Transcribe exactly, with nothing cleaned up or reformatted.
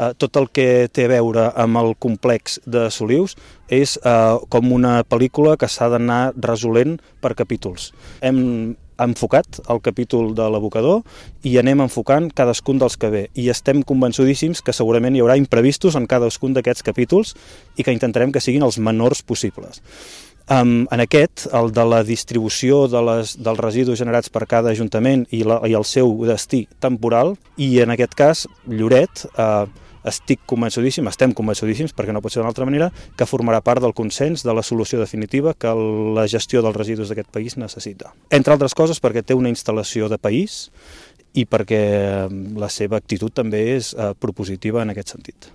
eh, tot el que té a veure amb el complex de Solius és eh, com una pel·lícula que s'ha d'anar resolent per capítols. Hem enfocat el capítol de l'abocador i anem enfocant cadascun dels que ve. I estem convençudíssims que segurament hi haurà imprevistos en cadascun d'aquests capítols i que intentarem que siguin els menors possibles. Um, en aquest, el de la distribució de les, dels residus generats per cada ajuntament i, la, i el seu destí temporal, i en aquest cas, Lloret, eh, estic convençudíssim, estem convençudíssims, perquè no pot ser d'una altra manera, que formarà part del consens de la solució definitiva que la gestió dels residus d'aquest país necessita. Entre altres coses perquè té una instal·lació de país i perquè la seva actitud també és eh, propositiva en aquest sentit.